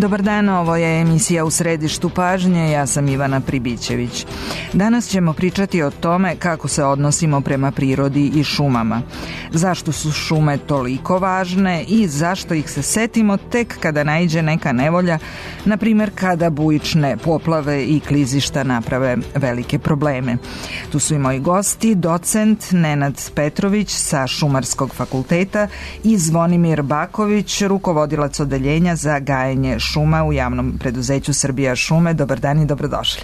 Dobar dan, ovo je emisija U središtu pažnje, ja sam Ivana Pribićević. Danas ćemo pričati o tome kako se odnosimo prema prirodi i šumama. Zašto su šume toliko važne i zašto ih se setimo tek kada naiđe neka nevolja, na primjer kada bujične poplave i klizišta naprave velike probleme. Tu su i moji gosti, docent Nenad Petrović sa Šumarskog fakulteta i Zvonimir Baković, rukovodilac odeljenja za gajenje šuma u javnom preduzeću Srbija šume. Dobar dan i dobrodošli.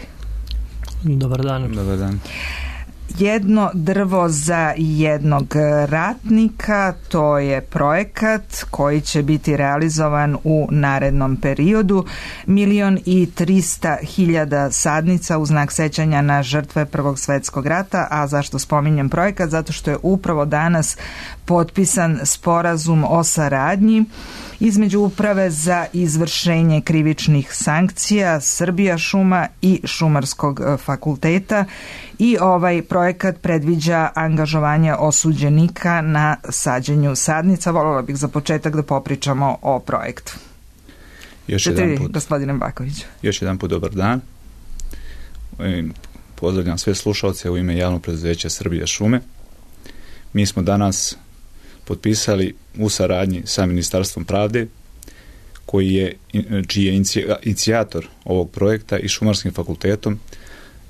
Dobar dan. Dobar dan. Jedno drvo za jednog ratnika, to je projekat koji će biti realizovan u narednom periodu. 1.300.000 sadnica u znak sećanja na žrtve Prvog svjetskog rata. A zašto spominjem projekat? Zato što je upravo danas potpisan sporazum o saradnji između Uprave za izvršenje krivičnih sankcija Srbija šuma i Šumarskog fakulteta i ovaj projekat predviđa angažovanje osuđenika na sađenju sadnica. Voljela bih za početak da popričamo o projektu. Gospodine Bakoviću. Još jedan put dobar dan. Pozdravljam sve slušalce u ime javnog preduzeća Srbija šume. Mi smo danas potpisali u saradnji sa Ministarstvom pravde, čiji je inicijator ovog projekta i Šumarskim fakultetom,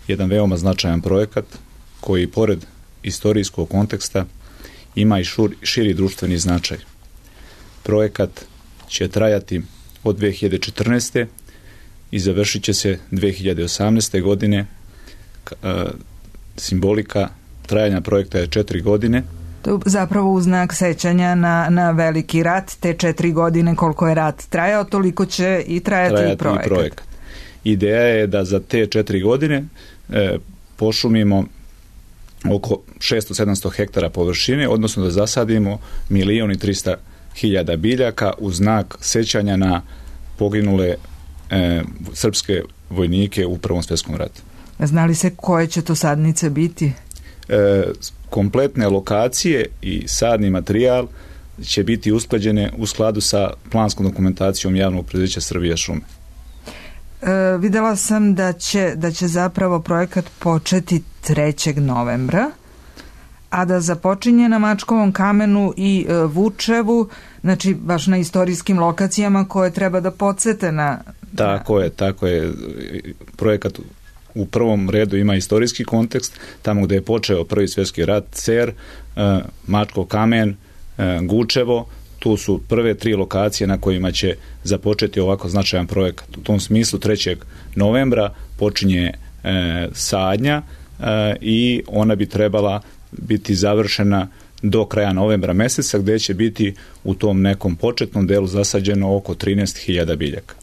jedan veoma značajan projekat koji pored istorijskog konteksta ima i širi društveni značaj. Projekat će trajati od 2014. i završit će se 2018. godine. Simbolika trajanja projekta je 4 godine. To je zapravo u znak sećanja na veliki rat, te 4 godine koliko je rat trajao, toliko će i trajati i projekat. Ideja je da za te 4 godine pošumimo oko 600-700 hektara površine, odnosno da zasadimo 1.300.000 biljaka u znak sećanja na poginule srpske vojnike u Prvom svjetskom ratu. Znali se koje će to sadnice biti? Kompletne lokacije i sadni materijal će biti usklađene u skladu sa planskom dokumentacijom javnog preduzeća Srbija šume. Videla sam da će zapravo projekat početi 3. novembra, a da započinje na Mačkovom kamenu i Vučevu, znači baš na istorijskim lokacijama koje treba da podsete na... Tako je. Projekat u prvom redu ima istorijski kontekst, tamo gdje je počeo Prvi svjetski rat, Cer, Mačkov kamen, Gučevo, tu su prve 3 lokacije na kojima će započeti ovako značajan projekat. U tom smislu 3. novembra počinje sadnja i ona bi trebala biti završena do kraja novembra mjeseca, gdje će biti u tom nekom početnom delu zasađeno oko 13.000 biljaka.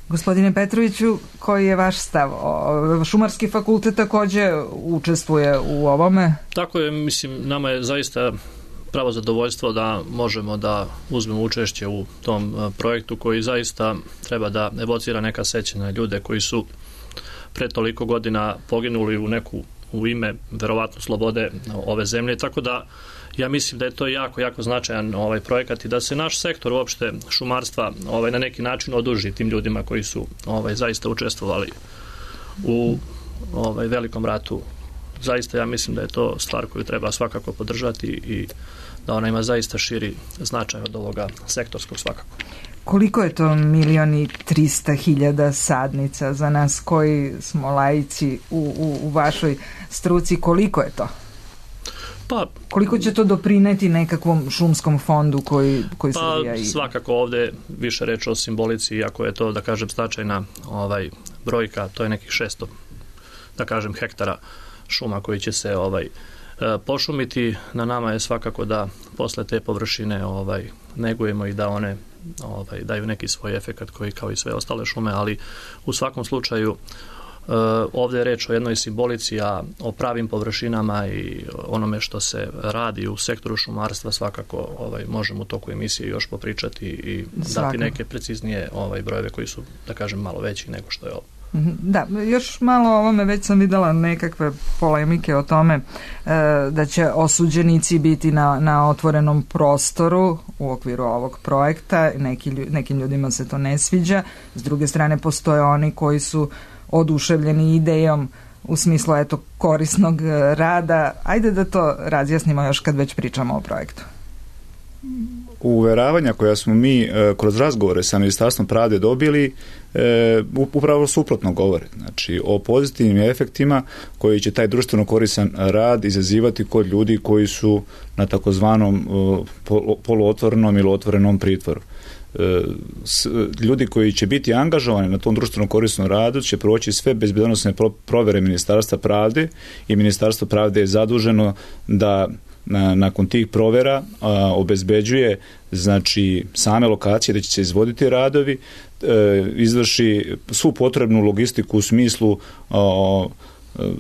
Gospodine Petroviću, koji je vaš stav? Šumarski fakultet također učestvuje u ovome? Tako je, mislim, nama je zaista pravo zadovoljstvo da možemo da uzmemo učešće u tom projektu koji zaista treba da evocira neka sećanja ljude koji su pre toliko godina poginuli u ime verovatno slobode ove zemlje, tako da ja mislim da je to jako značajan projekat i da se naš sektor uopšte šumarstva na neki način oduži tim ljudima koji su zaista učestvovali u velikom ratu. Zaista ja mislim da je to stvar koju treba svakako podržati i da ona ima zaista širi značaj od ovoga sektorskog svakako. Koliko je to 1.300.000 sadnica za nas koji smo laici u vašoj struci? Koliko je to? Koliko će to doprineti nekakvom šumskom fondu koji Srbija ima? Svakako ovdje više reći o simbolici, iako je to, da kažem, značajna brojka, to je nekih 600, da kažem, hektara šuma koji će se pošumiti. Na nama je svakako da posle te površine negujemo i da one daju neki svoj efekat koji kao i sve ostale šume, ali u svakom slučaju ovdje je reč o jednoj simbolici, a o pravim površinama i onome što se radi u sektoru šumarstva svakako možemo u toku emisije još popričati i dati neke preciznije brojeve koji su, da kažem, malo veći nego što je ovo. Da, još malo o ovome, već sam videla nekakve polemike o tome da će osuđenici biti na otvorenom prostoru u okviru ovog projekta. Nekim ljudima se to ne sviđa. S druge strane, postoje oni koji su oduševljeni idejom u smislu korisnog rada. Ajde da to razjasnimo još kad već pričamo o projektu. Uveravanja koja smo mi kroz razgovore sa Ministarstvom pravde dobili upravo suprotno govore. Znači, o pozitivnim efektima koji će taj društveno koristan rad izazivati kod ljudi koji su na takozvanom poluotvorenom ili otvorenom pritvoru. Ljudi koji će biti angažovani na tom društveno korisnom radu će proći sve bezbednosne provere Ministarstva pravde i Ministarstvo pravde je zaduženo da nakon tih provera obezbeđuje znači same lokacije da će se izvoditi radovi, izvrši svu potrebnu logistiku u smislu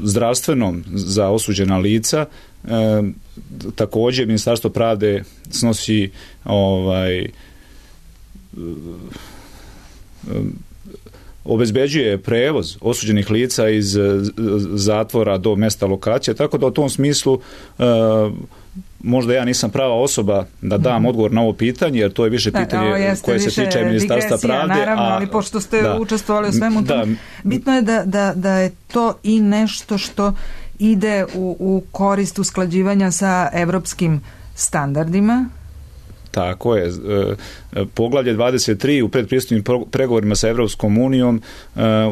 zdravstvenom za osuđena lica. Također Ministarstvo pravde snosi obezbeđuje prevoz osuđenih lica iz zatvora do mesta lokacije, tako da u tom smislu možda ja nisam prava osoba da dam odgovor na ovo pitanje, jer to je više pitanje koje se tiče Ministarstva pravde. Naravno, ali pošto ste učestvovali u svemu tom, bitno je da je to i nešto što ide u korist usklađivanja sa evropskim standardima. Tako je. Poglavlje 23 u predpristupnim pregovorima sa Evropskom unijom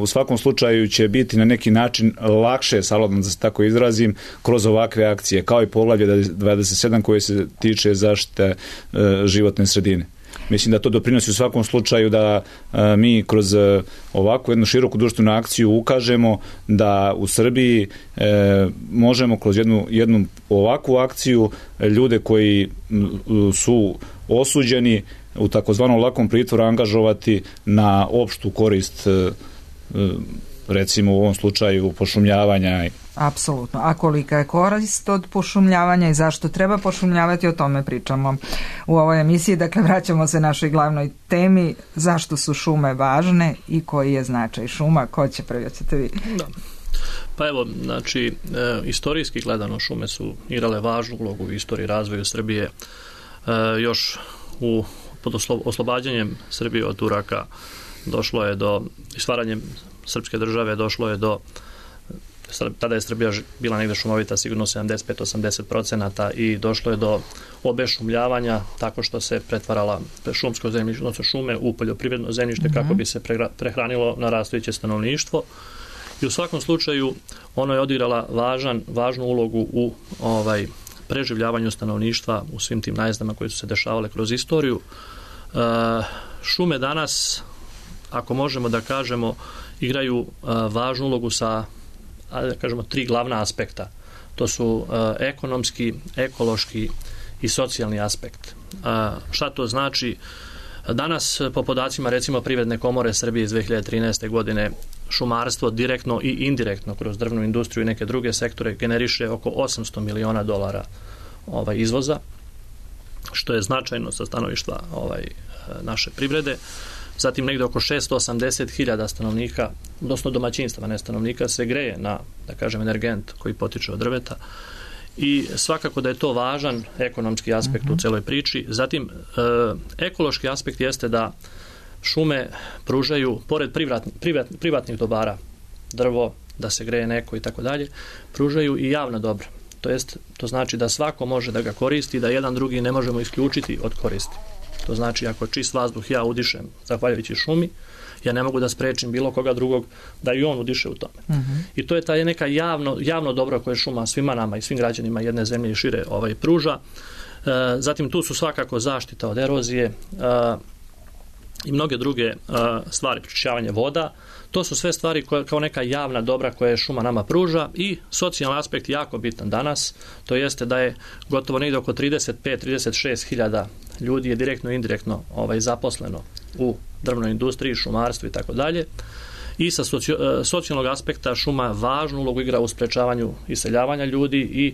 u svakom slučaju će biti na neki način lakše, salobno da se tako izrazim, kroz ovakve akcije, kao i poglavlje 27 koje se tiče zaštite životne sredine. Mislim da to doprinosi u svakom slučaju da mi kroz ovakvu jednu široku društvenu akciju ukažemo da u Srbiji možemo kroz jednu ovakvu akciju ljude koji su osuđeni u takozvanom lakom pritvoru angažovati na opštu korist, recimo u ovom slučaju pošumljavanja. Apsolutno. A kolika je korist od pošumljavanja i zašto treba pošumljavati, o tome pričamo u ovoj emisiji. Dakle, vraćamo se našoj glavnoj temi, zašto su šume važne i koji je značaj šuma. Ko će prvi, ćete vi? Da. Pa evo, znači, istorijski gledano šume su igrale važnu ulogu u istoriji razvoju Srbije. Još pod oslobađanjem Srbije od Turaka došlo je do stvaranjem srpske države, došlo je do, tada je Srbija bila negde šumovita sigurno 75-80% i došlo je do obešumljavanja tako što se pretvarala šumsko zemljište, odnosno šume u poljoprivredno zemljište kako bi se prehranilo narastajuće stanovništvo. I u svakom slučaju ono je odigrala važnu ulogu u preživljavanju stanovništva u svim tim najezdama koje su se dešavale kroz istoriju. Šume danas, ako možemo da kažemo, igraju važnu ulogu sa, da kažemo, 3 glavna aspekta. To su ekonomski, ekološki i socijalni aspekt. Šta to znači? Danas, po podacima recimo Privredne komore Srbije iz 2013. godine, šumarstvo direktno i indirektno kroz drvnu industriju i neke druge sektore generiše oko $800 miliona izvoza, što je značajno sa stanovišta naše privrede. Zatim negde oko 680.000 stanovnika, odnosno domaćinstva, ne stanovnika, se greje na, da kažem, energent koji potiče od drveta. I svakako da je to važan ekonomski aspekt u celoj priči. Zatim, ekološki aspekt jeste da šume pružaju, pored privatnih dobara, drvo, da se greje neko i tako dalje, pružaju i javna dobra. To znači da svako može da ga koristi, da jedan drugi ne možemo isključiti od koristi. To znači ako čist vazduh ja udišem zahvaljujući šumi, ja ne mogu da sprečim bilo koga drugog da i on udiše u tome. I to je ta neka javno dobro koje šuma svima nama i svim građanima jedne zemlje i šire pruža. Zatim tu su svakako zaštita od erozije i mnoge druge stvari, pročišćavanje voda. To su sve stvari kao neka javna dobra koje šuma nama pruža i socijalni aspekt jako bitan danas. To jeste da je gotovo negdje oko 35-36 hiljada ljudi je direktno i indirektno zaposleno u drvnoj industriji, šumarstvu i tako dalje. I sa socijalnog aspekta šuma važnu ulogu igra u sprečavanju iseljavanja ljudi i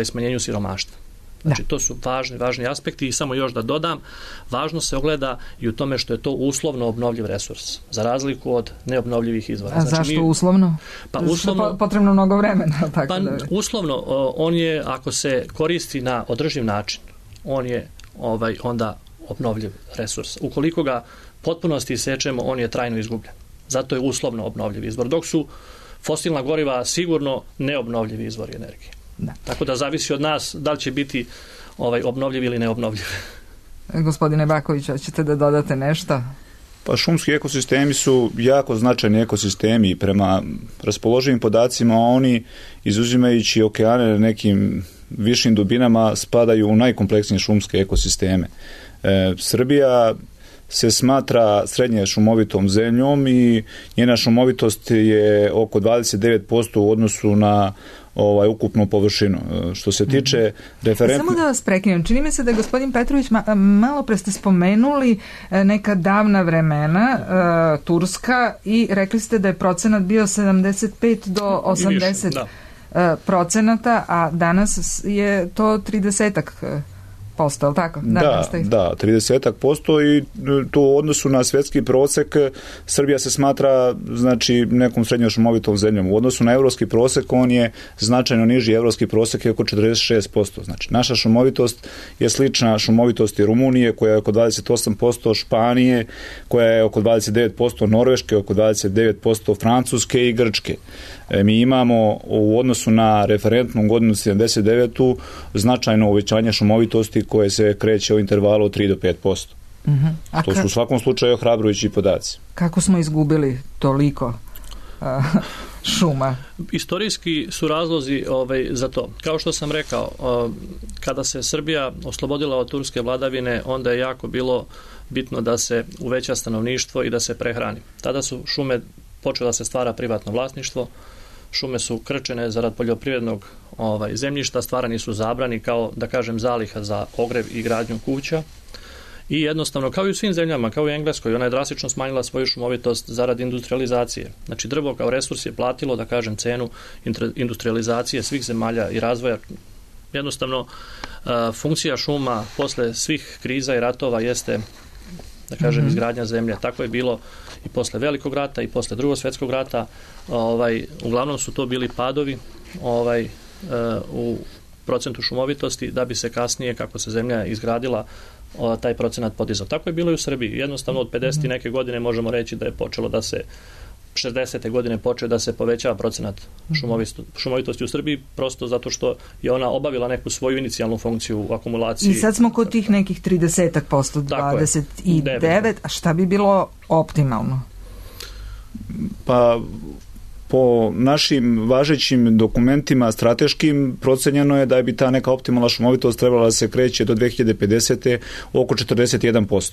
smanjenju siromaštva. Znači, to su važni aspekti i samo još da dodam, važno se ogleda i u tome što je to uslovno obnovljiv resurs, za razliku od neobnovljivih izvora. A znači, zašto uslovno? Pa uslovno, potrebno mnogo vremena. Tako pa da... uslovno, on je, ako se koristi na održiv način, on je onda obnovljiv resurs. Ukoliko ga potpunosti isečemo, on je trajno izgubljen. Zato je uslovno obnovljiv izvor, dok su fosilna goriva sigurno neobnovljivi izvori energije. Da. Tako da zavisi od nas da li će biti obnovljiv ili neobnovljiv. Gospodine Baković, hoćete da dodate nešto? Pa šumski ekosistemi su jako značajni ekosistemi i prema raspoloživim podacima oni, izuzimajući okeane na nekim višim dubinama, spadaju u najkompleksnije šumske ekosisteme. Srbija se smatra srednje šumovitom zemljom i njena šumovitost je oko 29% u odnosu na ukupnu površinu. Što se tiče referentne... Samo da vas prekinem, čini mi se da je gospodin Petrović malo pre ste spomenuli neka davna vremena, Turska, i rekli ste da je procenat bio 75 do 80 procenata, a danas je to 30%. Postao, tako? Da, 30% i to u odnosu na svjetski prosek Srbija se smatra znači nekom srednjom šumovitom zemljom. U odnosu na evropski prosek on je značajno niži, evropski prosek je oko 46%. Znači naša šumovitost je slična šumovitosti Rumunije koja je oko 28%, Španije koja je oko 29%, Norveške oko 29%, Francuske i Grčke. Mi imamo u odnosu na referentnu godinu 79. značajno uvećanje šumovitosti koje se kreće u intervalu od 3 do 5%. To su u svakom slučaju ohrabrujući podaci. Kako smo izgubili toliko šuma? Istorijski su razlozi za to. Kao što sam rekao, kada se Srbija oslobodila od turske vladavine, onda je jako bilo bitno da se uveća stanovništvo i da se prehrani. Tada su šume počela se stvara privatno vlasništvo, šume su krčene zarad poljoprivrednog zemljišta, stvarani su zabrani kao, da kažem, zaliha za ogrev i gradnju kuća i jednostavno, kao i u svim zemljama, kao i u Engleskoj, ona je drastično smanjila svoju šumovitost zarad industrializacije. Znači, drvo kao resurs je platilo, da kažem, cenu industrializacije svih zemalja i razvoja. Jednostavno, funkcija šuma posle svih kriza i ratova jeste, da kažem, izgradnja zemlje. Tako je bilo i posle Velikog rata i posle Drugog svjetskog rata. Uglavnom su to bili padovi u procentu šumovitosti da bi se kasnije, kako se zemlja izgradila, taj procenat podizao. Tako je bilo i u Srbiji. Jednostavno od 50. neke godine možemo reći da je počelo da se 60. godine počeo da se povećava procenat šumovitosti u Srbiji, prosto zato što je ona obavila neku svoju inicijalnu funkciju u akumulaciji. I sad smo kod tih nekih 30%, 29%, a šta bi bilo optimalno? Pa po našim važećim dokumentima strateškim procenjeno je da bi ta neka optimalna šumovitost trebala da se kreće do 2050. oko 41%.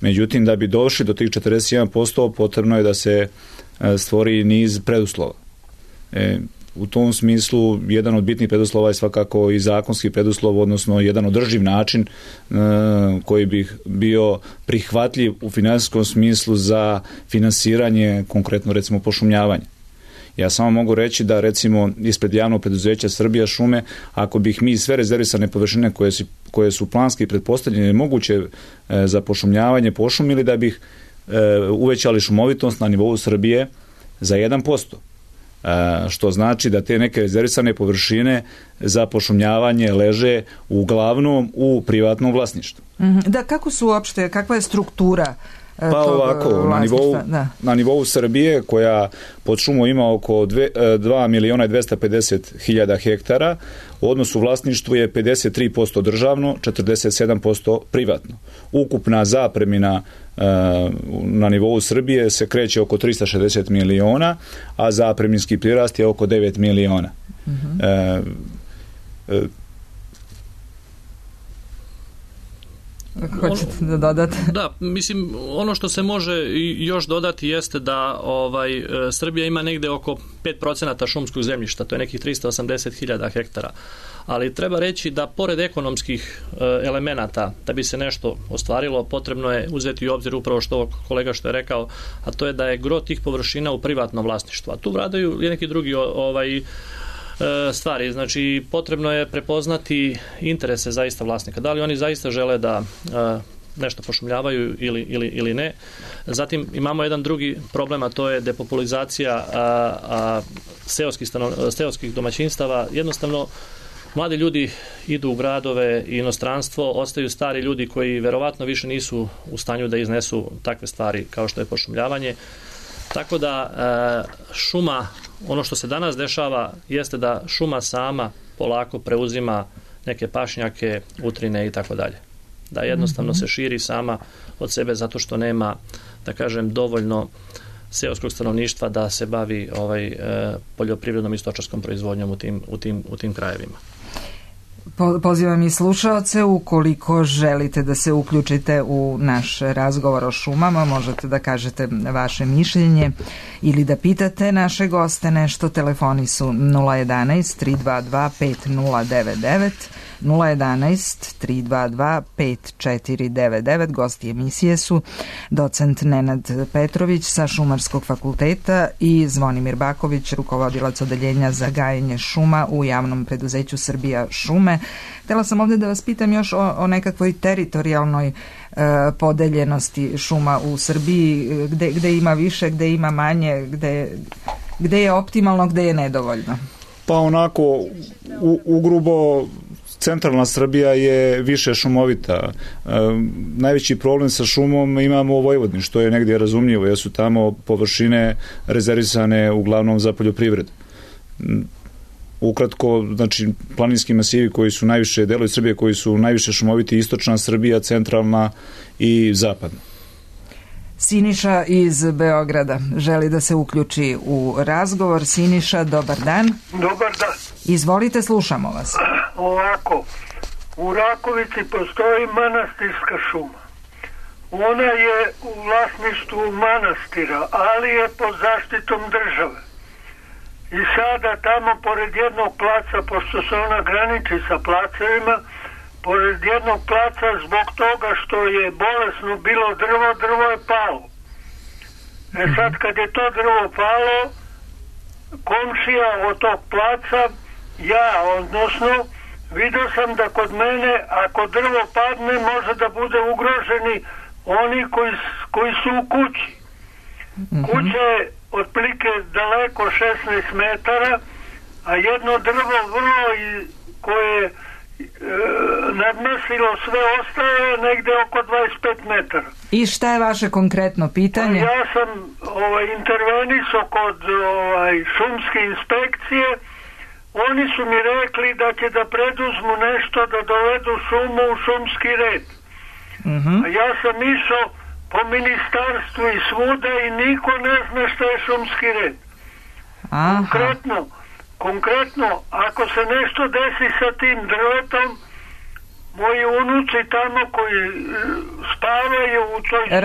Međutim, da bi došli do tih 41%, potrebno je da se stvori niz preduslova. U tom smislu, jedan od bitnih preduslova je svakako i zakonski preduslov, odnosno jedan održiv način koji bi bio prihvatljiv u finansijskom smislu za finansiranje, konkretno recimo pošumljavanje. Ja samo mogu reći da recimo ispred javnog preduzeća Srbija šume, ako bih mi sve rezervisane površine koje su planski pretpostavljene moguće za pošumljavanje pošumili, da bih uvećali šumovitost na nivou Srbije za 1%. Što znači da te neke rezervisane površine za pošumljavanje leže uglavnom u privatnom vlasništvu. Da, kako su uopšte, kakva je struktura? Pa ovako, na nivou Srbije, koja pod šumu ima oko 2.250.000 hektara, u odnosu vlasništvu je 53% državno, 47% privatno. Ukupna zapremina na nivou Srbije se kreće oko 360 miliona, a zapreminski prirast je oko 9 miliona. Hoćete da dodate? Da, mislim, ono što se može još dodati jeste da Srbija ima negde oko 5% šumskog zemljišta, to je nekih 380.000 hektara. Ali treba reći da pored ekonomskih elemenata, da bi se nešto ostvarilo, potrebno je uzeti u obzir upravo što kolega što je rekao, a to je da je gro tih površina u privatnom vlasništvu. A tu vladaju neki drugi stvari. Znači, potrebno je prepoznati interese zaista vlasnika. Da li oni zaista žele da nešto pošumljavaju ili ne. Zatim imamo jedan drugi problem, a to je depopulizacija seoskih domaćinstava. Jednostavno, mladi ljudi idu u gradove i inostranstvo, ostaju stari ljudi koji verovatno više nisu u stanju da iznesu takve stvari kao što je pošumljavanje. Tako da šuma, ono što se danas dešava, jeste da šuma sama polako preuzima neke pašnjake, utrine i tako dalje. Da jednostavno se širi sama od sebe zato što nema, da kažem, dovoljno seoskog stanovništva da se bavi poljoprivrednom i stočarskom proizvodnjom u tim krajevima. Pozivam i slušaoce, ukoliko želite da se uključite u naš razgovor o šumama, možete da kažete vaše mišljenje ili da pitate naše goste nešto. Telefoni su 011 322 5099, 011 322 5499. Gosti emisije su docent Nenad Petrović sa Šumarskog fakulteta i Zvonimir Baković, rukovodilac odeljenja za gajenje šuma u javnom preduzeću Srbija šume. Htela sam ovdje da vas pitam još o nekakvoj teritorijalnoj podeljenosti šuma u Srbiji, gde ima više, gde ima manje, gde je optimalno, gde je nedovoljno. Pa onako, ugrubo, centralna Srbija je više šumovita. Najveći problem sa šumom imamo u Vojvodini, što je negdje razumljivo, jer su tamo površine rezervisane uglavnom za poljoprivredu. Ukratko, znači, planinski masivi koji su najviše, delovi Srbije koji su najviše šumoviti, istočna Srbija, centralna i zapadna. Siniša iz Beograda želi da se uključi u razgovor. Siniša, dobar dan. Dobar dan. Izvolite, slušamo vas. Ovako, u Rakovici postoji manastirska šuma. Ona je u vlasništvu manastira, ali je pod zaštitom države. I sada tamo pored jednog placa, pošto se ona graniči sa placevima, pored jednog placa zbog toga što je bolesno bilo drvo je palo. Sad kad je to drvo palo, komšija od tog placa, odnosno, vidio sam da kod mene, ako drvo padne, može da bude ugroženi oni koji su u kući. Kuća je otprilike daleko 16 metara, a jedno drvo vrlo koje je nadmašilo sve ostalo negde oko 25 metara. I šta je vaše konkretno pitanje? Ja sam intervenisao kod šumske inspekcije. Oni su mi rekli da će da preduzmu nešto da dovedu šumu u šumski red. A ja sam išao po ministarstvu i svuda i niko ne zna šta je šumski red. Konkretno, ako se nešto desi sa tim drvetom, moji unuci tamo koji spavaju u toj...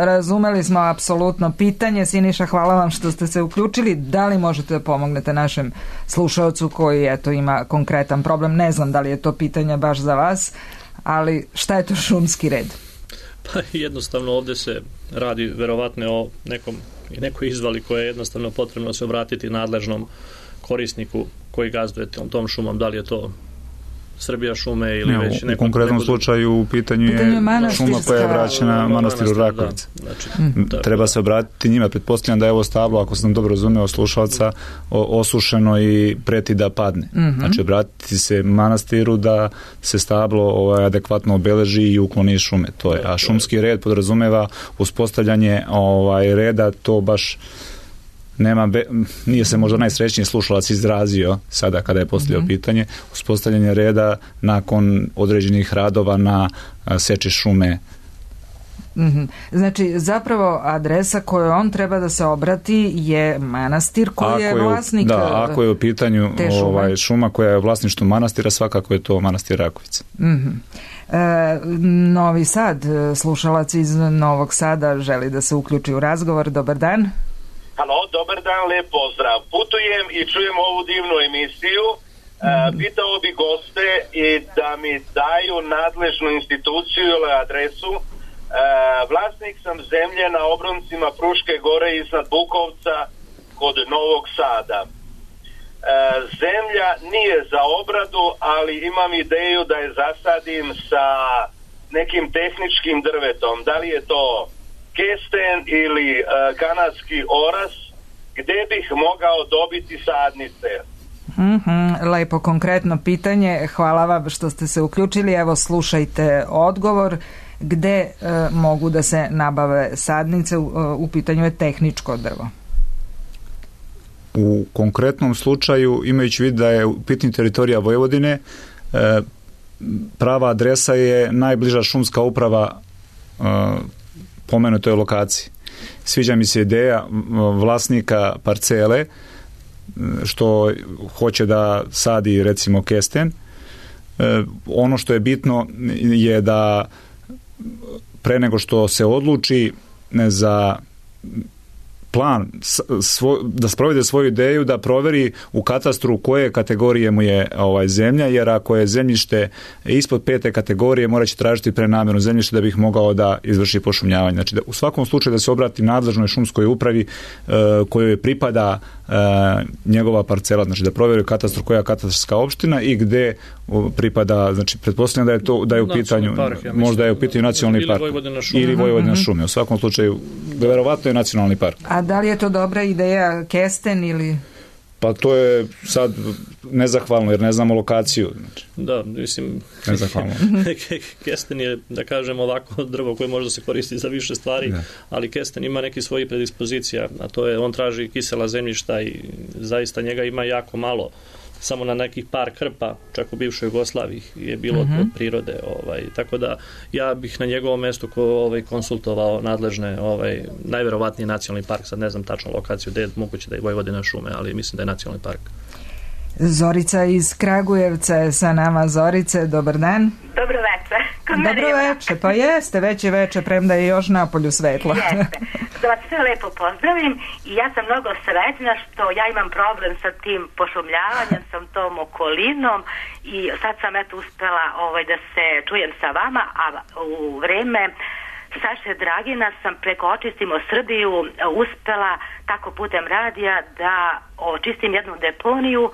Razumeli smo apsolutno pitanje. Siniša, hvala vam što ste se uključili. Da li možete da pomognete našem slušaocu koji ima konkretan problem? Ne znam da li je to pitanje baš za vas, ali šta je to šumski red? Pa jednostavno ovdje se radi verovatno o nekoj izvali koje je jednostavno potrebno se obratiti nadležnom korisniku koji gazduje tom šumom, da li je to Srbija šume ili već neko... U konkretnom slučaju u pitanju je šuma koja je vraćena manastiru Rakovica. Treba se obratiti njima. Pretpostavljam da je ovo stablo, ako sam dobro razumeo slušalca, osušeno i preti da padne. Znači obratiti se manastiru da se stablo adekvatno obeleži i ukloni šume. To je. A šumski red podrazumeva uspostavljanje reda, to baš nije se možda najsrećniji slušalac izrazio sada kada je postavljao pitanje, uspostavljanje reda nakon određenih radova na seči šume. Znači, zapravo adresa koju on treba da se obrati je manastir koji je vlasnik te šume. Da, ako je u pitanju šuma koja je u vlasništvu manastira, svakako je to manastir Rakovica. Novi Sad, slušalac iz Novog Sada želi da se uključi u razgovor. Dobar dan. Halo, dobar dan, lijep pozdrav. Putujem i čujem ovu divnu emisiju. Pitao bi goste i da mi daju nadležnu instituciju ili adresu. Vlasnik sam zemlje na obroncima Fruške gore iznad Bukovca kod Novog Sada. zemlja nije za obradu, ali imam ideju da je zasadim sa nekim tehničkim drvetom. Da li je to kesten ili kanadski oras, gde bih mogao dobiti sadnice? Lepo konkretno pitanje, hvala vam što ste se uključili. Evo slušajte odgovor. Gde mogu da se nabave sadnice? U pitanju je tehničko drvo. U konkretnom slučaju, imajući vid da je u pitanju teritorija Vojvodine, prava adresa je najbliža šumska uprava pomenutoj lokaciji. Sviđa mi se ideja vlasnika parcele što hoće da sadi recimo kesten. Ono što je bitno je da pre nego što se odluči za plan da sprovede svoju ideju, da proveri u katastru koje kategorije mu je zemlja, jer ako je zemljište ispod 5. kategorije, morat će tražiti prenamjenu zemljišta da bih mogao da izvrši pošumljavanje. Znači, u svakom slučaju da se obrati nadležnoj šumskoj upravi kojoj pripada njegova parcela, znači da proveri u katastru koja je katastarska opština i gde pripada, znači pretpostavljam da je u pitanju, možda je u pitanju nacionalni park ili Vojvodina šume. U svakom slučaju, verovatno je nacionalni park. A da li je to dobra ideja kesten ili... Pa to je sad nezahvalno jer ne znamo lokaciju. Znači. Da, mislim, kesten je, da kažem ovako, drvo koje može da se koristi za više stvari, ali kesten ima neki svojih predispozicija, a to je, on traži kisela zemljišta i zaista njega ima jako malo. Samo na nekih par krpa, čak u bivšoj Jugoslaviji je bilo od prirode. Tako da ja bih na njegovom mestu konsultovao nadležne, najverovatniji nacionalni park, sad ne znam tačno lokaciju gde je moguće da je Vojvodina šume, ali mislim da je nacionalni park. Zorica iz Kragujevca je sa nama. Zorice, dobar dan. Dobro veče. Dobro veče, pa jeste, već je veče, premda je još napolju svetlo. Jeste. Da vas sve lepo pozdravim i ja sam mnogo srećna što ja imam problem sa tim pošumljavanjem, sa tom okolinom i sad sam uspela da se čujem sa vama, a u vreme Saše Dragina sam preko Očistimo Srbiju uspela tako putem radija da očistim jednu deponiju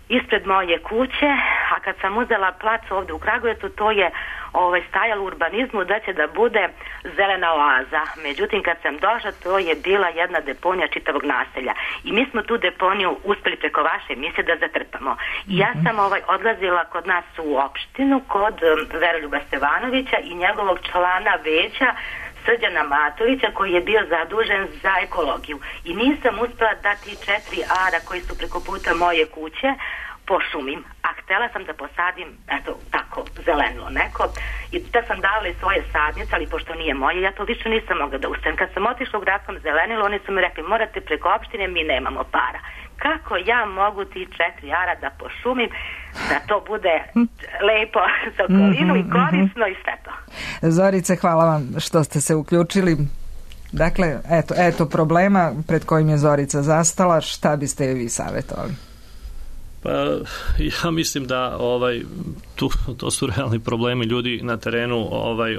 ispred moje kuće, a kad sam uzela plac ovde u Kragujevcu, to je stajalo u urbanizmu da će da bude zelena oaza. Međutim, kad sam došla, to je bila jedna deponija čitavog naselja. I mi smo tu deponiju uspeli preko vaše emisije da zatrpamo. I ja sam odlazila kod nas u opštinu, kod Veroljuba Stevanovića i njegovog člana veća Srđana Matovića koji je bio zadužen za ekologiju. I nisam uspela da ti 4 ara koji su preko puta moje kuće pošumim, a htela sam da posadim tako zeleno neko i da sam davala i svoje sadnice, ali pošto nije moje, ja to više nisam mogla da ustavim. Kad sam otišla u gradskom zelenilu, oni su mi rekli morate preko opštine, mi nemamo para. Kako ja mogu ti 4 ara da pošumim da to bude lepo za okolinu i korisno i sve to. Zorice, hvala vam što ste se uključili. Dakle, eto problema pred kojim je Zorica zastala, šta biste joj vi savjetovali? Pa ja mislim da to su realni problemi ljudi na terenu,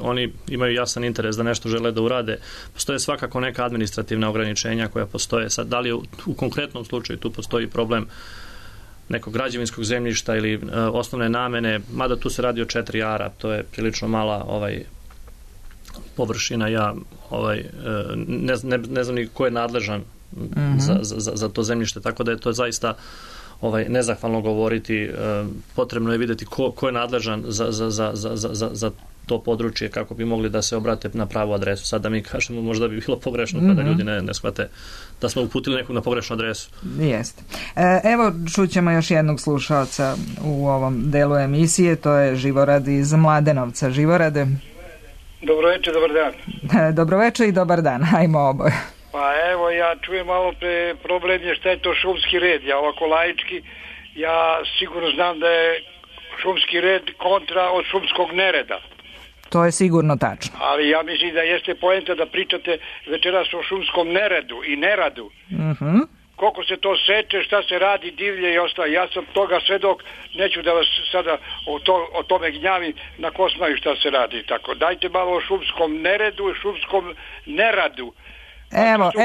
oni imaju jasan interes da nešto žele da urade. Postoje svakako neka administrativna ograničenja koja postoje. Sad, da li u konkretnom slučaju tu postoji problem nekog građevinskog zemljišta ili osnovne namene, mada tu se radi o 4 ara, to je prilično mala površina. Ja ne znam ni ko je nadležan za to zemljište, tako da je to zaista nezahvalno govoriti. Potrebno je vidjeti ko je nadležan za to područje kako bi mogli da se obrate na pravu adresu. Sad da mi kažemo možda bi bilo pogrešno kada ljudi ne shvate da smo uputili nekog na pogrešnu adresu. Jeste. Evo čućemo još jednog slušaoca u ovom delu emisije, to je Živorad iz Mladenovca. Živorade. Dobroveče, dobar dan. Dobroveče i dobar dan, hajmo oboje. Pa evo, ja čujem malo pre problem je šta je to šumski red. Ja ovako laički, ja sigurno znam da je šumski red kontra od šumskog nereda. To je sigurno tačno. Ali ja mislim da jeste poenta da pričate večeras o šumskom neredu i neradu. Koliko se to seče, šta se radi, divlje i ostalo. Ja sam toga svedok, neću da vas sada o tome gnjavim na ko znaju šta se radi. Tako, dajte malo o šumskom neredu i šumskom neradu.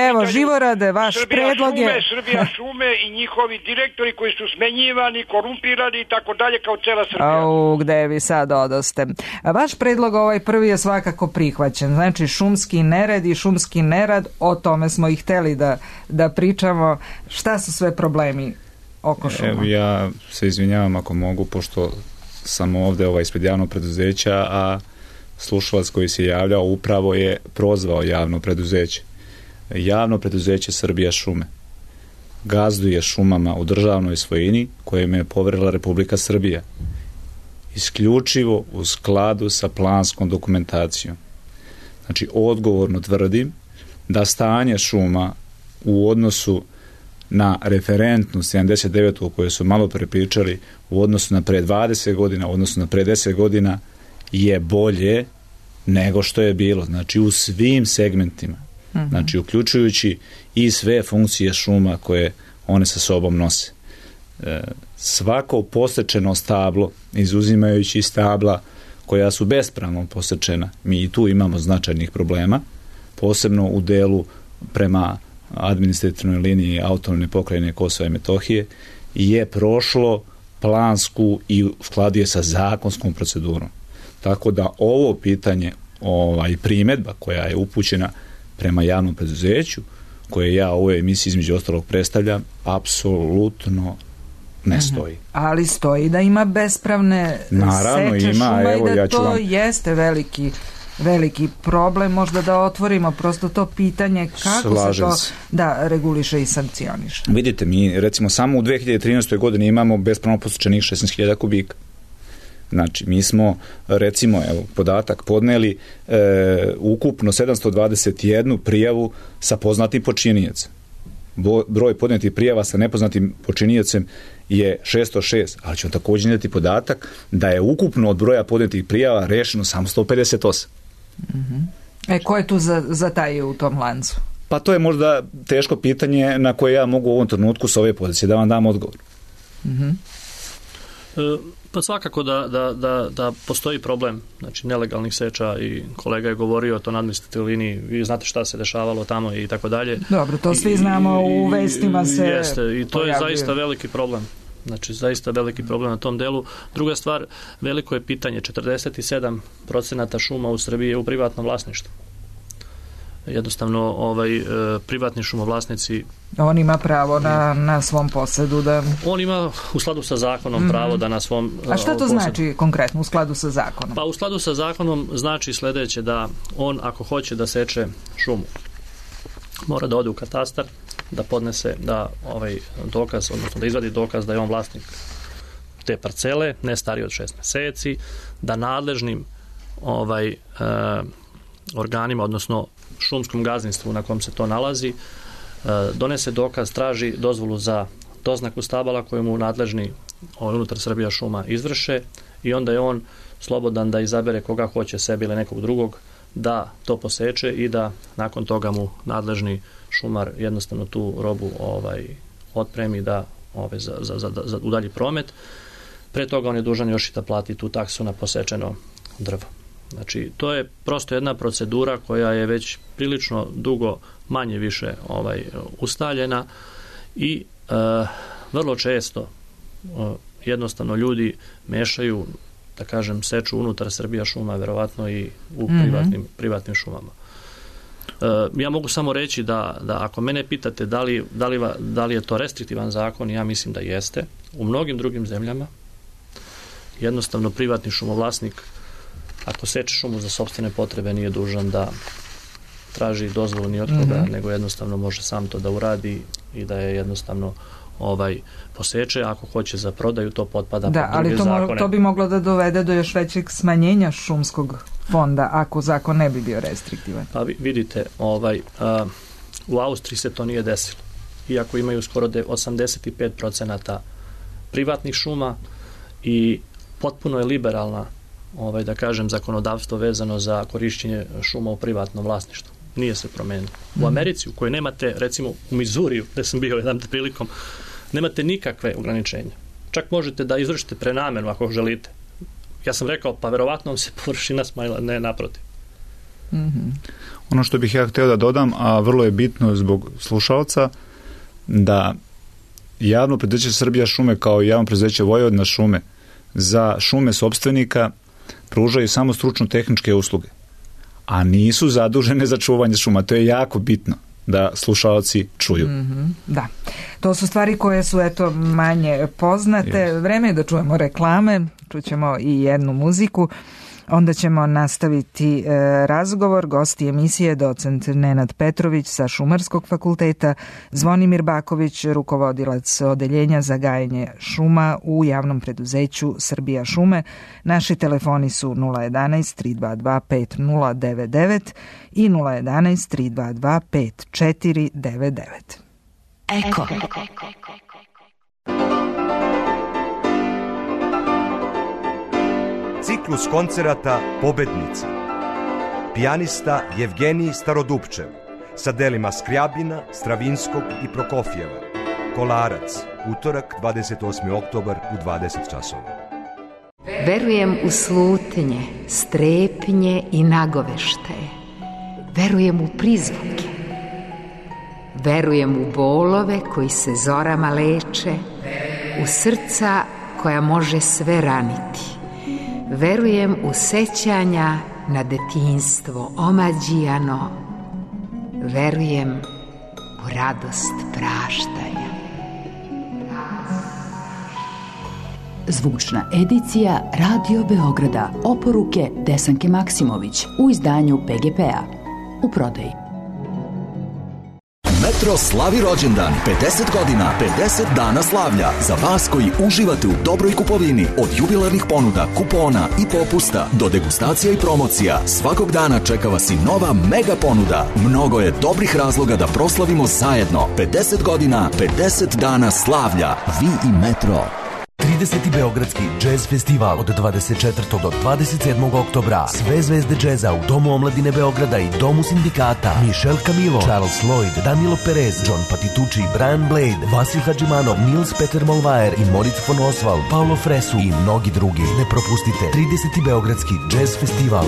Evo, Živorade, vaš predlog je... Srbija šume i njihovi direktori koji su smenjivani, korumpirani i tako dalje kao cela Srbija. Gde vi sad odoste? Vaš predlog ovaj prvi je svakako prihvaćen. Znači, šumski nered i šumski nerad, o tome smo i hteli da pričamo. Šta su sve problemi oko šuma? Evo, ja se izvinjavam ako mogu, pošto sam ovde ispred javnog preduzeća, a slušalac koji se javljao upravo je prozvao javno preduzeće. Javno preduzeće Srbija šume gazduje šumama u državnoj svojini kojim je poverila Republika Srbija, isključivo u skladu sa planskom dokumentacijom. Znači, odgovorno tvrdim da stanje šuma u odnosu na referentnu 79. o kojoj su malo prepričali, u odnosu na pre 20 godina, u odnosu na pre 10 godina, je bolje nego što je bilo. Znači, u svim segmentima. Znači, uključujući i sve funkcije šuma koje one sa sobom nose. Svako posečeno stablo, izuzimajući stabla koja su bespravno posečena, mi i tu imamo značajnih problema, posebno u delu prema administrativnoj liniji autonomne pokrajine Kosova i Metohije, je prošlo plansku i u skladu je sa zakonskom procedurom. Tako da ovo pitanje, primedba koja je upućena prema javnom preduzeću, koje ja u ovoj emisiji između ostalog predstavljam, apsolutno ne stoji. Ali stoji da ima bespravne seče šuma i da to jeste veliki problem, možda da otvorimo prosto to pitanje kako se to reguliše i sankcioniše. Vidite, mi recimo samo u 2013. godini imamo bespravno posečenih 16.000 kubika. Znači, mi smo, recimo, podatak, podneli ukupno 721 prijavu sa poznatim počinijecem. Broj podnetih prijava sa nepoznatim počinijecem je 606, ali ćemo također imati podatak da je ukupno od broja podnetih prijava rešeno samo 158. Ko je tu zatajio u tom lancu? Pa to je možda teško pitanje na koje ja mogu u ovom trenutku s ove pozicije da vam dam odgovor. Pa svakako da postoji problem, znači nelegalnih seča, i kolega je govorio o to na administrativnoj liniji, vi znate šta se dešavalo tamo i tako dalje. Dobro, to svi znamo, u vestima se jeste, i to je zaista veliki problem. Znači, zaista veliki problem na tom delu. Druga stvar, veliko je pitanje, 47% šuma u Srbiji je u privatnom vlasništvu. Jednostavno, privatni šumovlasnici... On ima pravo na svom posedu da... On ima u skladu sa zakonom pravo da na svom... A šta to znači konkretno u skladu sa zakonom? Pa u skladu sa zakonom znači sledeće, da on ako hoće da seče šumu, mora da ode u katastar, da podnese dokaz, odnosno da izvadi dokaz da je on vlasnik te parcele, ne stariji od 6 meseci, da nadležnim organima, odnosno šumskom gazdinstvu na kom se to nalazi, donese dokaz, traži dozvolu za doznaku stabala koju mu nadležni unutar Srbija šuma izvrše, i onda je on slobodan da izabere koga hoće, sebi ili nekog drugog, da to poseče i da nakon toga mu nadležni šumar jednostavno tu robu otpremi da za udalji promet. Pre toga on je dužan još i da plati tu taksu na posečeno drvo. Znači, to je prosto jedna procedura koja je već prilično dugo manje više ustaljena i vrlo često jednostavno ljudi mešaju, da kažem, seču unutar Srbija šuma, verovatno i u privatnim šumama. Ja mogu samo reći da ako mene pitate da li je to restriktivan zakon, ja mislim da jeste. U mnogim drugim zemljama jednostavno privatni šumovlasnik, ako seče šumu za sopstvene potrebe, nije dužan da traži dozvolu ni od koga, nego jednostavno može sam to da uradi i da je jednostavno poseče. Ako hoće za prodaju, to potpada pod druge zakone. Ali to bi moglo da dovede do još većeg smanjenja šumskog fonda ako zakon ne bi bio restriktivan. Pa vidite, u Austriji se to nije desilo. Iako imaju skoro 85% privatnih šuma i potpuno je liberalna, da kažem, zakonodavstvo vezano za korišćenje šuma u privatnom vlasništvu. Nije se promenilo. U Americi, u kojoj nemate, recimo u Mizuriju, gde sam bio jedan prilikom, nemate nikakve ograničenja. Čak možete da izvršite prenamenu ako želite. Ja sam rekao, pa verovatno se površina smanjila, ne naprotiv. Ono što bih ja htio da dodam, a vrlo je bitno zbog slušalca, da javno preduzeće Srbija šume kao i javno preduzeće Vojvodina šume za šume sopstvenika pružaju samo stručno-tehničke usluge, a nisu zadužene za čuvanje šuma. To je jako bitno da slušalci čuju. Da, to su stvari koje su manje poznate. Vreme je da čujemo reklame, čućemo i jednu muziku. Onda ćemo nastaviti razgovor. Gosti emisije docent Nenad Petrović sa Šumarskog fakulteta, Zvonimir Baković, rukovodilac odeljenja za gajenje šuma u javnom preduzeću Srbija šume. Naši telefoni su 011 322 5099 i 011 322 5499. Eko. Ciklus koncerata Pobednici. Pijanista Jevgenij Starodupčev sa delima Skrjabina, Stravinskog i Prokofjeva. Kolarac, utorak 28. oktobar u 20 časova. Verujem u slutnje, strepnje i nagoveštaje. Verujem u prizvuke. Verujem u bolove koji se zorama leče, u srca koja može sve raniti. Verujem u sećanja na detinjstvo omađijano. Verujem u radost praštanja. Zvučna edicija Radio Beograda. Oporuke Desanke Maksimović u izdanju PGP-a. U prodaji. Metro slavi rođendan, 50 godina, 50 dana slavlja. Za vas koji uživate u dobroj kupovini, od jubilarnih ponuda, kupona i popusta do degustacija i promocija, svakog dana čeka vas i nova mega ponuda. Mnogo je dobrih razloga da proslavimo zajedno. 50 godina, 50 dana slavlja. Vi i Metro. 30. Beogradski džez festival od 24. do 27. oktobra. Sve zvezde džeza u Domu omladine Beograda i Domu sindikata. Michel Camilo, Charles Lloyd, Danilo Perez, John Patitucci, Brian Blade, Vasil Hadžimanov, Nils Peter Molvaer i Moritz von Oswald, Paolo Fresu i mnogi drugi. Ne propustite 30. Beogradski džez festival.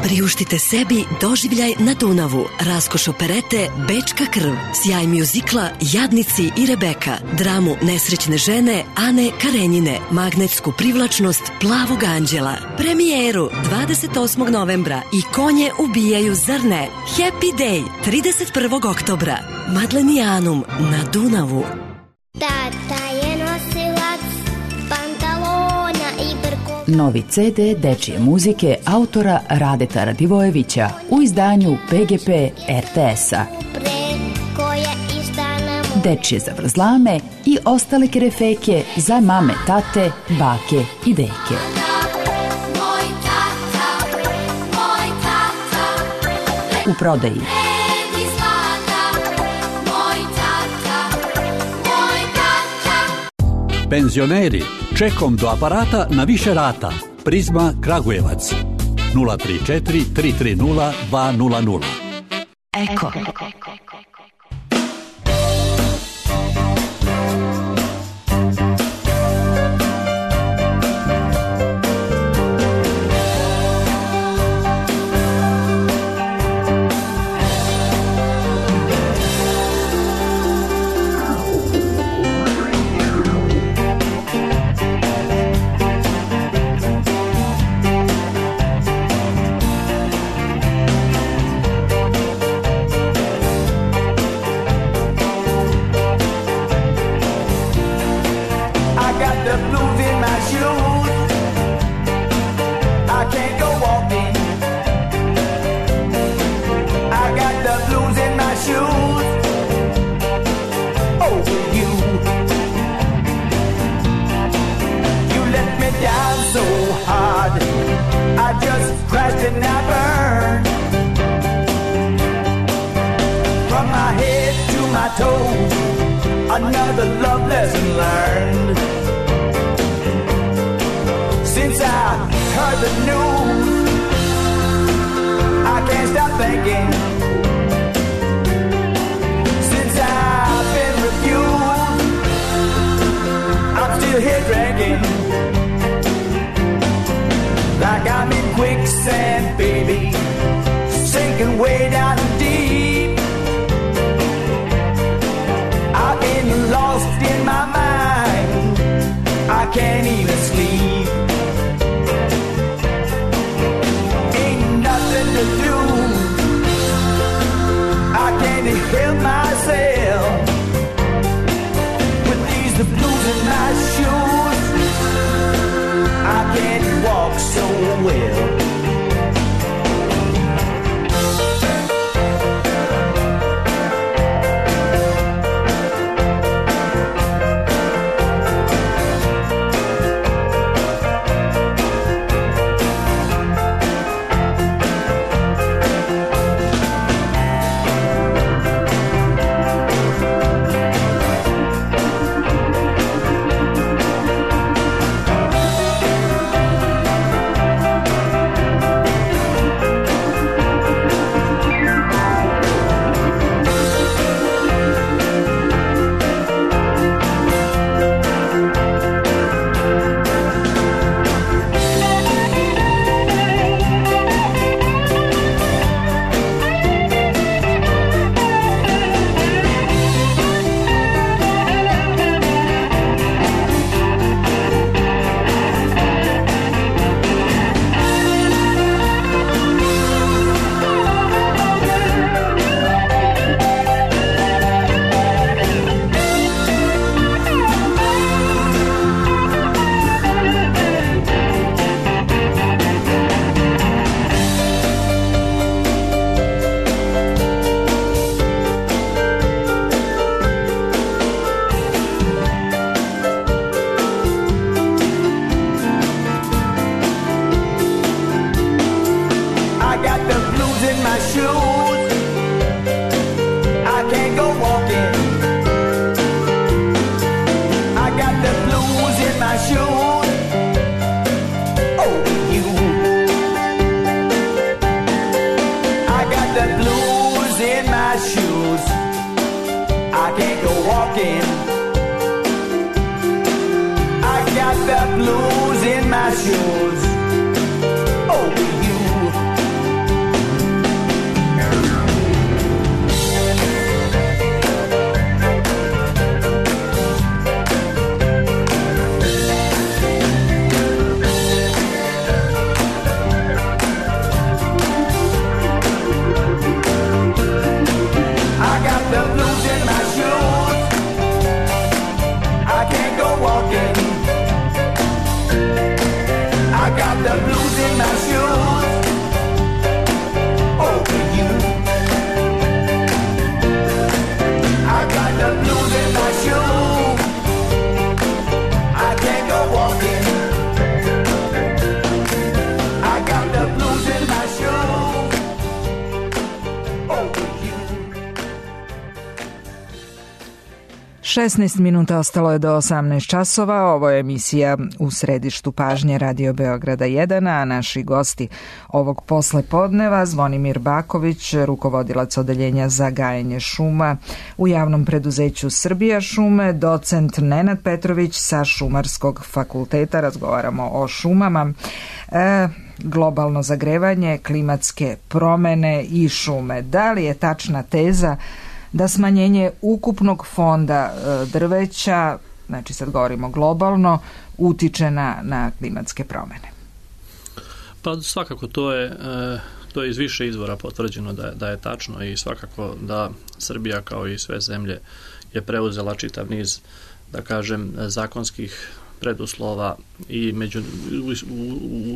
Priuštite sebi doživljaj na Dunavu, raskoš operete Bečka krv, sjaj mjuzikla Jadnici i Rebeka, dramu Nesrećne žene Ane Karenjine, magnetsku privlačnost Plavog anđela, premijeru 28. novembra i Konje ubijaju, zar ne? Happy Day 31. oktobra, Madlenijanum na Dunavu. Tata je nosilac pantalona i prko... Novi CD dečije muzike autora Radeta Radivojevića u izdanju PGP RTS-a. Dečije zavrzlame i ostale kerefeke za mame, tate, bake i deke. U prodaji. Penzioneri, čekom do aparata na više rata. Prizma Kragujevac 034 330 200. Eko. Another love lesson learned. Since I heard the news, I can't stop thinking. Since I've been refused, I'm still here drinking. Like I'm in quicksand, baby. sinking way down deep. I've been lost in my mind, I can't even sleep. Ain't nothing to do, I can't help myself. With these the blues in my shoes, I can't walk so well. Šesnaest minuta ostalo je do 18 časova. Ovo je emisija U središtu pažnje Radio Beograda 1, a naši gosti ovog poslepodneva Zvonimir Baković, rukovodilac odeljenja za gajenje šuma u javnom preduzeću Srbija šume, docent Nenad Petrović sa Šumarskog fakulteta. Razgovaramo o šumama, globalno zagrevanje, klimatske promene i šume. Da li je tačna teza da smanjenje ukupnog fonda drveća, znači sad govorimo globalno, utiče na klimatske promene? Pa svakako to je iz više izvora potvrđeno da je tačno i svakako da Srbija kao i sve zemlje je preuzela čitav niz, da kažem, zakonskih preduslova i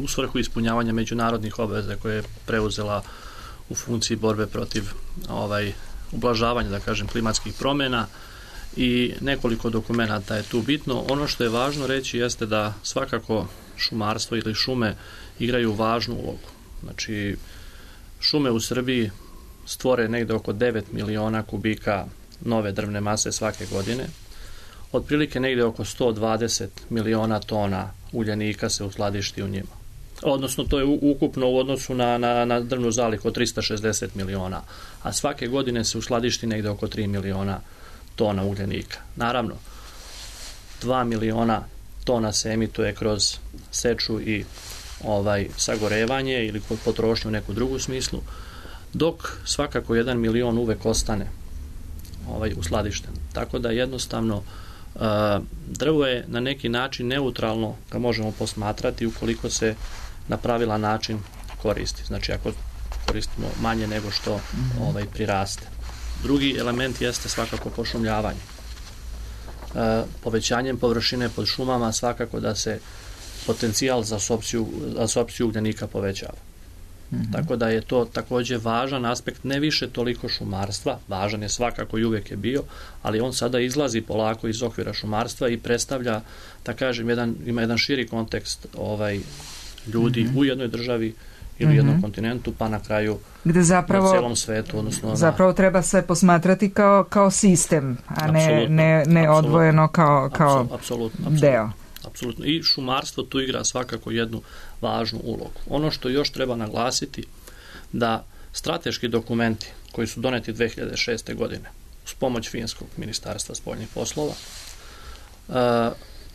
u svrhu ispunjavanja međunarodnih obveza koje je preuzela u funkciji borbe protiv ublažavanja, da kažem, klimatskih promjena i nekoliko dokumenata je tu bitno. Ono što je važno reći jeste da svakako šumarstvo ili šume igraju važnu ulogu. Znači, šume u Srbiji stvore negde oko 9 miliona kubika nove drvne mase svake godine. Otprilike negde oko 120 miliona tona uljanika se uskladišti u njima. Odnosno, to je ukupno u odnosu na drvnu zalihu od 360 miliona, a svake godine se uskladišti negde oko 3 miliona tona ugljenika. Naravno, 2 miliona tona se emituje kroz seču i sagorevanje ili potrošnju u neku drugu smislu. dok svakako 1 milion uvek ostane uskladišten. Tako da jednostavno drvo je na neki način neutralno, ga možemo posmatrati ukoliko se na pravilan način koristi. Znači ako koristimo manje nego što priraste. Drugi element jeste svakako pošumljavanje. Povećanjem površine pod šumama svakako da se potencijal za apsorpciju ugljenika povećava. Tako da je to također važan aspekt, ne više toliko šumarstva, važan je svakako i uvijek je bio, ali on sada izlazi polako iz okvira šumarstva i predstavlja, da kažem, ima jedan širi kontekst ljudi u jednoj državi ili jednom kontinentu, pa na kraju gde zapravo, na celom svetu. Odnosno zapravo treba se posmatrati kao sistem, a ne odvojeno kao deo. Apsolutno. I šumarstvo tu igra svakako jednu važnu ulogu. Ono što još treba naglasiti, da strateški dokumenti koji su doneti 2006. godine uz pomoć Finskog ministarstva spoljnih poslova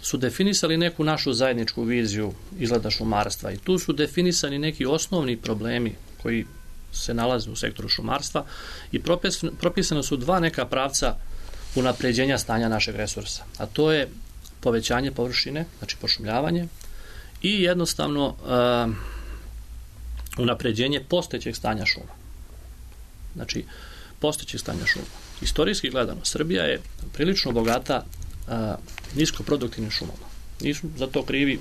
su definisali neku našu zajedničku viziju izgleda šumarstva i tu su definisani neki osnovni problemi koji se nalaze u sektoru šumarstva i propisano su dva neka pravca unapređenja stanja našeg resursa, a to je povećanje površine, znači pošumljavanje i jednostavno unapređenje postojećeg stanja šuma. Znači, postojećeg stanja šuma. Istorijski gledano, Srbija je prilično bogata niskoproduktivnim šumama. Nisu za to krivi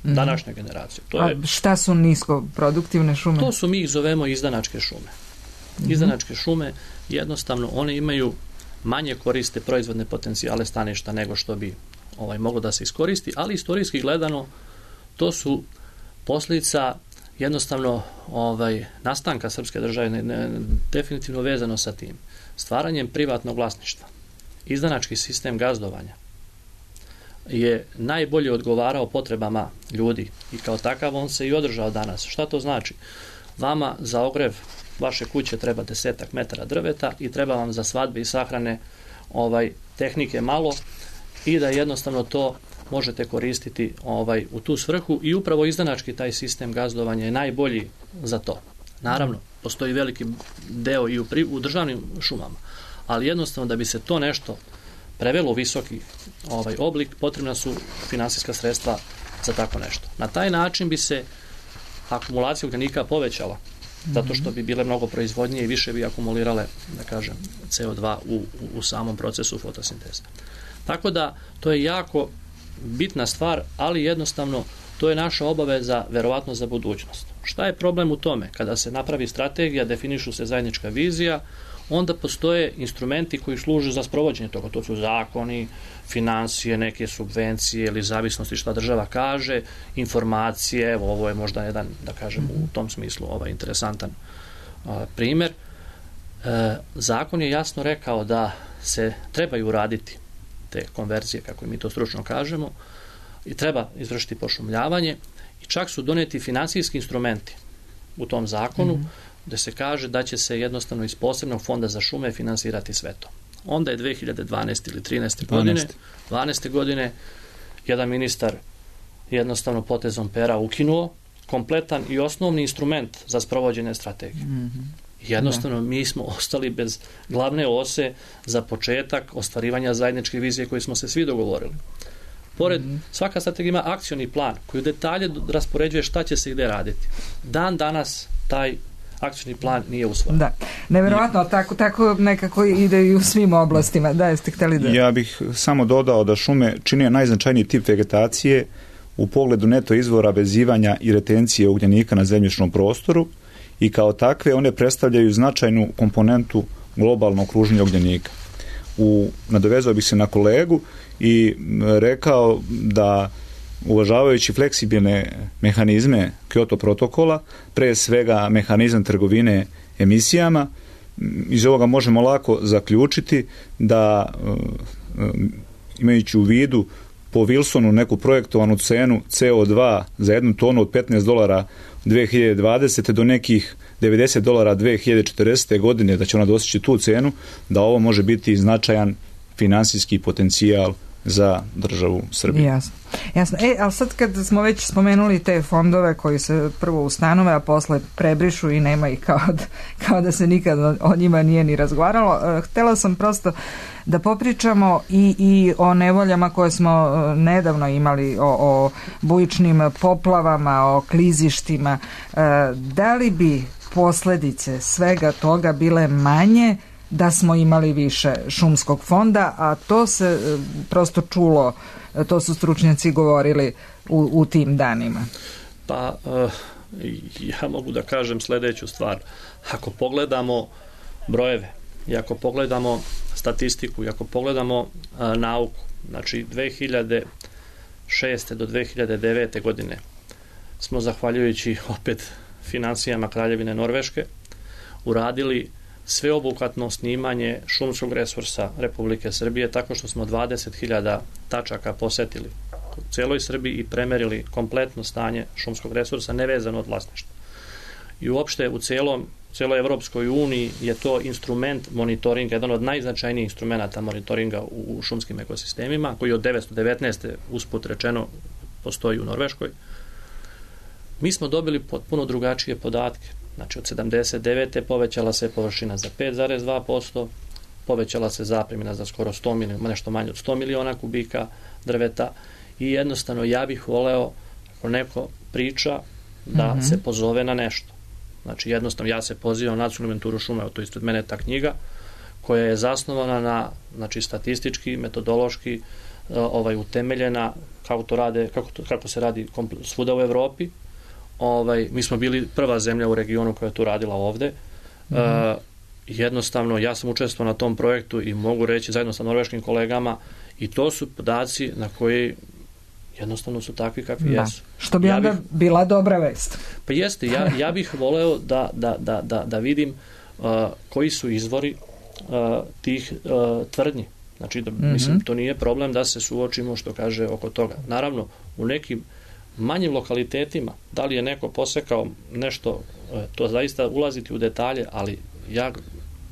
današnje generacije. Šta su niskoproduktivne šume? To su, mi ih zovemo izdanačke šume. Izdanačke šume, jednostavno, one imaju manje koriste proizvodne potencijale staništa nego što bi moglo da se iskoristi, ali istorijski gledano to su posljedica jednostavno nastanka srpske države, definitivno vezano sa tim. Stvaranjem privatnog vlasništva, izdanački sistem gazdovanja je najbolje odgovarao potrebama ljudi i kao takav on se i održao danas. Šta to znači? Vama za ogrev vaše kuće treba 10 metara drveta i treba vam za svadbe i sahrane tehnike malo i da jednostavno to možete koristiti u tu svrhu i upravo izdanački taj sistem gazdovanja je najbolji za to. Naravno, postoji veliki deo i u državnim šumama, ali jednostavno da bi se to nešto prevelo u visoki oblik, potrebna su finansijska sredstva za tako nešto. Na taj način bi se akumulacija ugljenika povećala, zato što bi bile mnogo proizvodnije i više bi akumulirale, da kažem, CO2 u samom procesu fotosinteze. Tako da, to je jako bitna stvar, ali jednostavno to je naša obaveza verovatno za budućnost. Šta je problem u tome? Kada se napravi strategija, definišu se zajednička vizija, onda postoje instrumenti koji služe za sprovođenje toga. To su zakoni, finansije, neke subvencije ili zavisnosti šta država kaže, informacije, ovo je možda jedan, da kažem, u tom smislu interesantan primjer. Zakon je jasno rekao da se trebaju uraditi te konverzije, kako mi to stručno kažemo, i treba izvršiti pošumljavanje i čak su doneti finansijski instrumenti u tom zakonu gde se kaže da će se jednostavno iz posebnog fonda za šume finansirati sve to. Onda je 2012. ili 12. godine jedan ministar jednostavno potezom pera ukinuo kompletan i osnovni instrument za sprovođenje strategije. Jednostavno mi smo ostali bez glavne ose za početak ostvarivanja zajedničke vizije koje smo se svi dogovorili. Pored, svaka strategija ima akcioni plan koji u detalje raspoređuje šta će se i gde raditi. Dan danas taj akcioni plan nije usvojen. Da, nevjerovatno, tako nekako ide i u svim oblastima. Da, jeste hteli da... Ja bih samo dodao da šume čine najznačajniji tip vegetacije u pogledu neto izvora vezivanja i retencije ugljenika na zemljišnom prostoru i kao takve one predstavljaju značajnu komponentu globalnog kruženja ugljenika. Nadovezao bih se na kolegu i rekao da uvažavajući fleksibilne mehanizme Kyoto protokola, pre svega mehanizam trgovine emisijama, iz ovoga možemo lako zaključiti da imajući u vidu po Wilsonu neku projektovanu cenu CO2 za 1 tonu od $15 2020. do nekih $90 2040. godine, da će ona dostići tu cenu, da ovo može biti značajan finansijski potencijal za državu Srbiju. Jasno. Ali sad kad smo već spomenuli te fondove koji se prvo ustanove, a posle prebrišu i nema ih kao da se nikad o njima nije ni razgovaralo, htjela sam prosto da popričamo i o nevoljama koje smo nedavno imali, o bujičnim poplavama, o klizištima. Da li bi posljedice svega toga bile manje da smo imali više šumskog fonda, a to se prosto čulo, to su stručnjaci govorili u tim danima? Pa ja mogu da kažem sljedeću stvar. Ako pogledamo brojeve i ako pogledamo statistiku i ako pogledamo nauku, znači 2006. do 2009. godine smo, zahvaljujući opet financijama Kraljevine Norveške, uradili sveobuhvatno snimanje šumskog resursa Republike Srbije, tako što smo 20.000 tačaka posetili u cijeloj Srbiji i premerili kompletno stanje šumskog resursa nevezano od vlasništva. I uopšte u cijeloj Evropskoj uniji je to instrument monitoringa, jedan od najznačajnijih instrumenta monitoringa u šumskim ekosistemima, koji od 1919. usput rečeno postoji u Norveškoj. Mi smo dobili potpuno drugačije podatke. Znači od 79. povećala se površina za 5,2%, povećala se zapremina za skoro 100 miliona, nešto manje od 100 miliona kubika drveta i jednostavno ja bih voleo, ako neko priča, da se pozove na nešto. Znači jednostavno ja se pozivam na nacionalnu inventuru šuma, to ispred mene ta knjiga, koja je zasnovana na, znači, statistički, metodološki utemeljena kako se radi svuda u Evropi. Mi smo bili prva zemlja u regionu koja je to radila ovde. Jednostavno, ja sam učestvovao na tom projektu i mogu reći zajedno sa norveškim kolegama, i to su podaci na koji jednostavno su takvi kakvi jesu. Što bi onda bila dobra vest. Pa jeste, ja bih voleo da vidim koji su izvori tih tvrdnji. Znači, mislim, to nije problem da se suočimo, što kaže, oko toga. Naravno, u nekim manjim lokalitetima, da li je neko posekao nešto, to zaista ulaziti u detalje, ali ja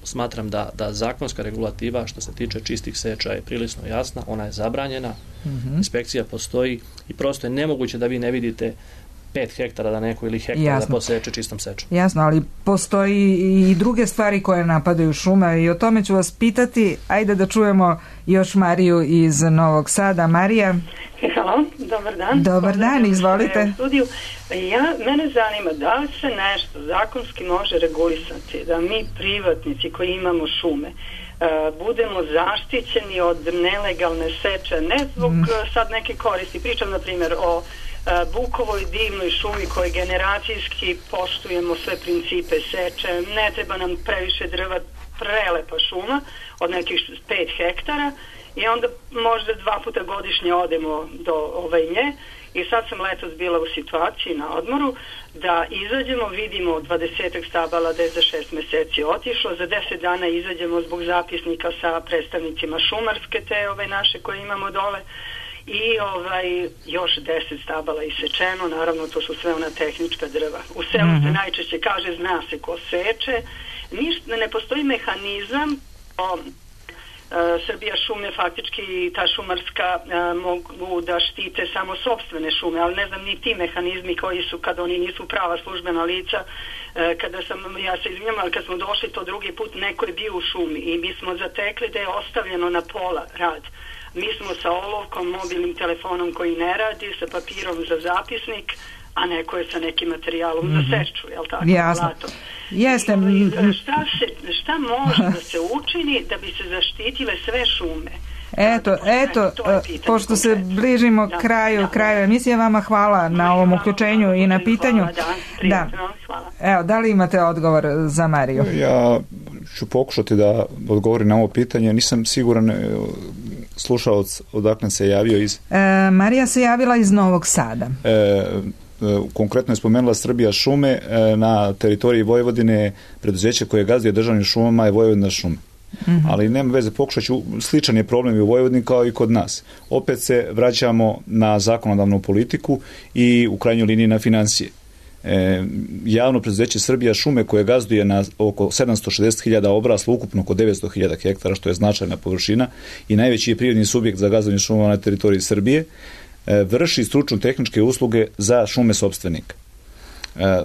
smatram da zakonska regulativa što se tiče čistih seča je prilično jasna, ona je zabranjena, inspekcija postoji i prosto je nemoguće da vi ne vidite 5 hektara da neko ili hektar da poseče čistom sečom. Jasno, ali postoji i druge stvari koje napadaju šume i o tome ću vas pitati. Ajde da čujemo još Mariju iz Novog Sada. Marija? Halo, dobar dan. Dobar dan, izvolite. Mene zanima da li se nešto zakonski može regulisati, da mi privatnici koji imamo šume budemo zaštićeni od nelegalne seče, ne zbog sad neke koristi. Pričam, na primjer, o bukovoj divnoj šumi koji generacijski poštujemo sve principe seče, ne treba nam previše drva, prelepa šuma od nekih 5 hektara i onda možda 2 puta godišnje odemo do nje. I sad sam letos bila u situaciji na odmoru da izađemo, vidimo 20 stabala da je za 6 meseci otišlo, za 10 dana izađemo zbog zapisnika sa predstavnicima šumarske te naše koje imamo dole i još 10 stabala isečeno, naravno to su sve ona tehnička drva. U selu se najčešće kaže zna se ko seče, ne postoji mehanizam Srbija šume faktički ta šumarska mogu da štite samo sopstvene šume, ali ne znam ni ti mehanizmi koji su kad oni nisu prava službena lica. Ja se izvinjam, ali kad smo došli to drugi put neko je bio u šumi i mi smo zatekli da je ostavljeno na pola rad. Mi smo sa olovkom, mobilnim telefonom koji ne radi, sa papirom za zapisnik, a neko je sa nekim materijalom za seču, jel tako? Jasno. Jeste. Šta može da se učini da bi se zaštitile sve šume? Eto, pošto se bližimo kraju emisije, vama hvala na ovom uključenju i na pitanju. Hvala. Evo, da li imate odgovor za Mariju? Ja ću pokušati da odgovorim na ovo pitanje. Nisam siguran slušalac odakle se javio iz... Marija se javila iz Novog Sada. Konkretno je spomenula Srbija šume. Na teritoriji Vojvodine preduzeće koje gazduje državnim šumama je Vojvodina šume. Ali nema veze, pokušat ću, sličan je problem i u Vojvodini kao i kod nas. Opet se vraćamo na zakonodavnu politiku i u krajnjoj liniji na financije. javno preduzeće Srbija šume koje gazduje na oko 760.000 obrasla, ukupno oko 900.000 hektara, što je značajna površina i najveći je prirodni subjekt za gazdovanje šumama na teritoriji Srbije, vrši stručno-tehničke usluge za šume sopstvenika.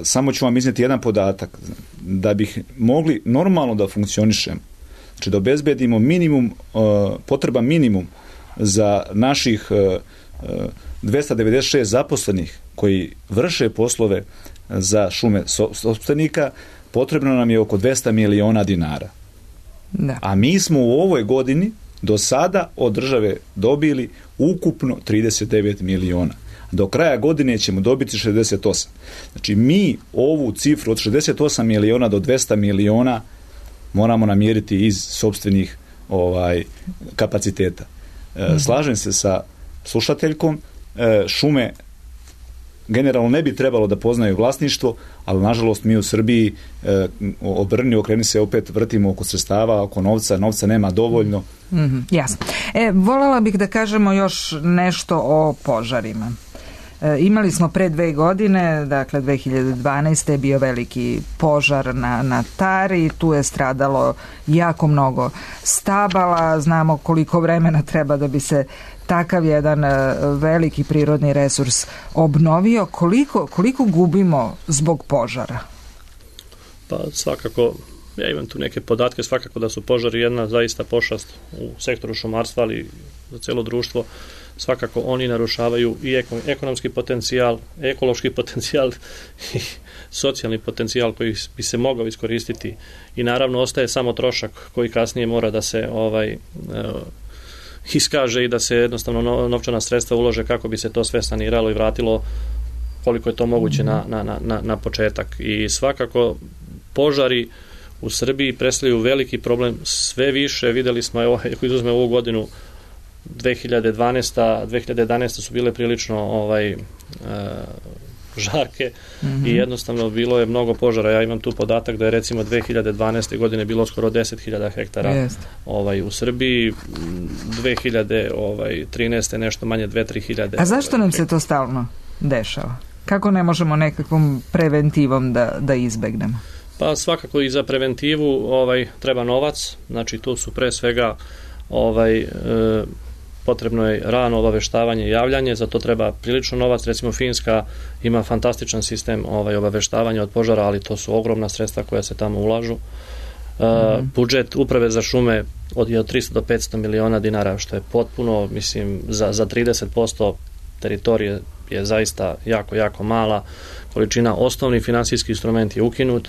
Samo ću vam iznijeti jedan podatak. Da bih mogli normalno da funkcionišemo, znači da obezbedimo potreban minimum za naših 296 zaposlenih koji vrše poslove za šume sopstvenika, potrebno nam je oko 200 miliona dinara. Da. A mi smo u ovoj godini do sada od države dobili ukupno 39 miliona. Do kraja godine ćemo dobiti 68. Znači mi ovu cifru od 68 miliona do 200 miliona moramo namiriti iz sopstvenih kapaciteta. Slažem se sa slušateljkom, šume generalno ne bi trebalo da poznaju vlasništvo, ali nažalost mi u Srbiji okreni se opet vrtimo oko sredstava, oko novca nema dovoljno. Jasno. Voljela bih da kažemo još nešto o požarima. Imali smo pre 2 godine, dakle 2012. je bio veliki požar na Tari, tu je stradalo jako mnogo stabala, znamo koliko vremena treba da bi se takav jedan veliki prirodni resurs obnovio. Koliko gubimo zbog požara? Pa svakako, ja imam tu neke podatke, svakako da su požari jedna zaista pošast u sektoru šumarstva, ali za celo društvo. Svakako oni narušavaju i ekonomski potencijal, ekološki potencijal i socijalni potencijal koji bi se mogao iskoristiti i naravno ostaje samo trošak koji kasnije mora da se iskaže i da se jednostavno novčana sredstva ulože kako bi se to sve saniralo i vratilo koliko je to moguće na početak. I svakako požari u Srbiji predstavljaju veliki problem, sve više videli smo, ako izuzme ovu godinu 2011 su bile prilično žarke i jednostavno bilo je mnogo požara. Ja imam tu podatak da je recimo 2012. godine bilo skoro 10.000 hektara u Srbiji, 2013. nešto manje 2-3 hiljade. A zašto nam se to stalno dešava? Kako ne možemo nekakvom preventivom da izbegnemo? Pa svakako i za preventivu treba novac, znači tu su pre svega potrebno je rano obaveštavanje i javljanje, za to treba prilično novac. Recimo Finska ima fantastičan sistem obaveštavanja od požara, ali to su ogromna sredstva koja se tamo ulažu. Budžet uprave za šume je od 300 do 500 miliona dinara, što je potpuno, mislim, za 30% teritorije je zaista jako, jako mala količina. Osnovni finansijski instrument je ukinut.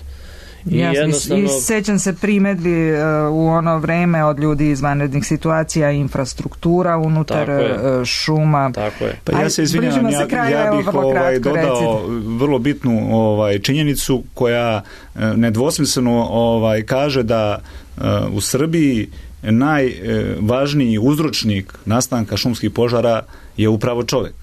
I sećam se primedbi u ono vreme od ljudi iz vanrednih situacija, infrastruktura unutar šuma. Tako je. Pa ja se izvinjavam, ja bih dodao vrlo bitnu činjenicu koja nedvosmisleno kaže da u Srbiji najvažniji uzročnik nastanka šumskih požara je upravo čovek.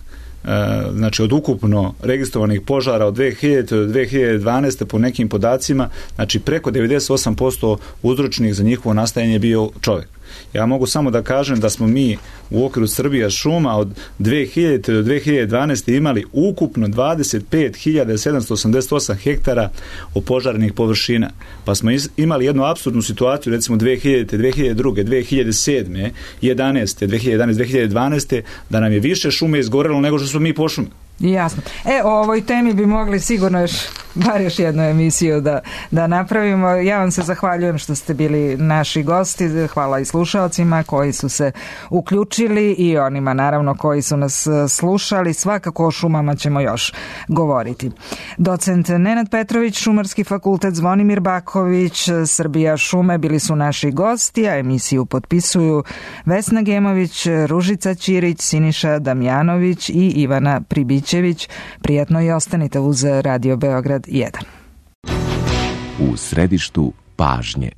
Znači od ukupno registrovanih požara od 2000 do 2012. po nekim podacima, znači preko 98% uzročnih za njihovo nastajanje je bio čovjek. Ja mogu samo da kažem da smo mi u okviru Srbija šuma od 2000 do 2012. imali ukupno 25.788 hektara opožarenih površina. Pa smo imali jednu apsurdnu situaciju, recimo 2000, 2002, 2007, 11, 2011, 2012, da nam je više šume izgorelo nego što smo mi pošumili. Jasno. O ovoj temi bi mogli sigurno bar još jednu emisiju da napravimo. Ja vam se zahvaljujem što ste bili naši gosti. Hvala i slušaocima koji su se uključili i onima naravno koji su nas slušali. Svakako o šumama ćemo još govoriti. Docent Nenad Petrović, Šumarski fakultet, Zvonimir Baković, Srbija šume bili su naši gosti, a emisiju potpisuju Vesna Gemović, Ružica Ćirić, Siniša Damjanović i Ivana Pribićević. Prijatno i ostanite uz Radio Beograd 1. U središtu pažnje.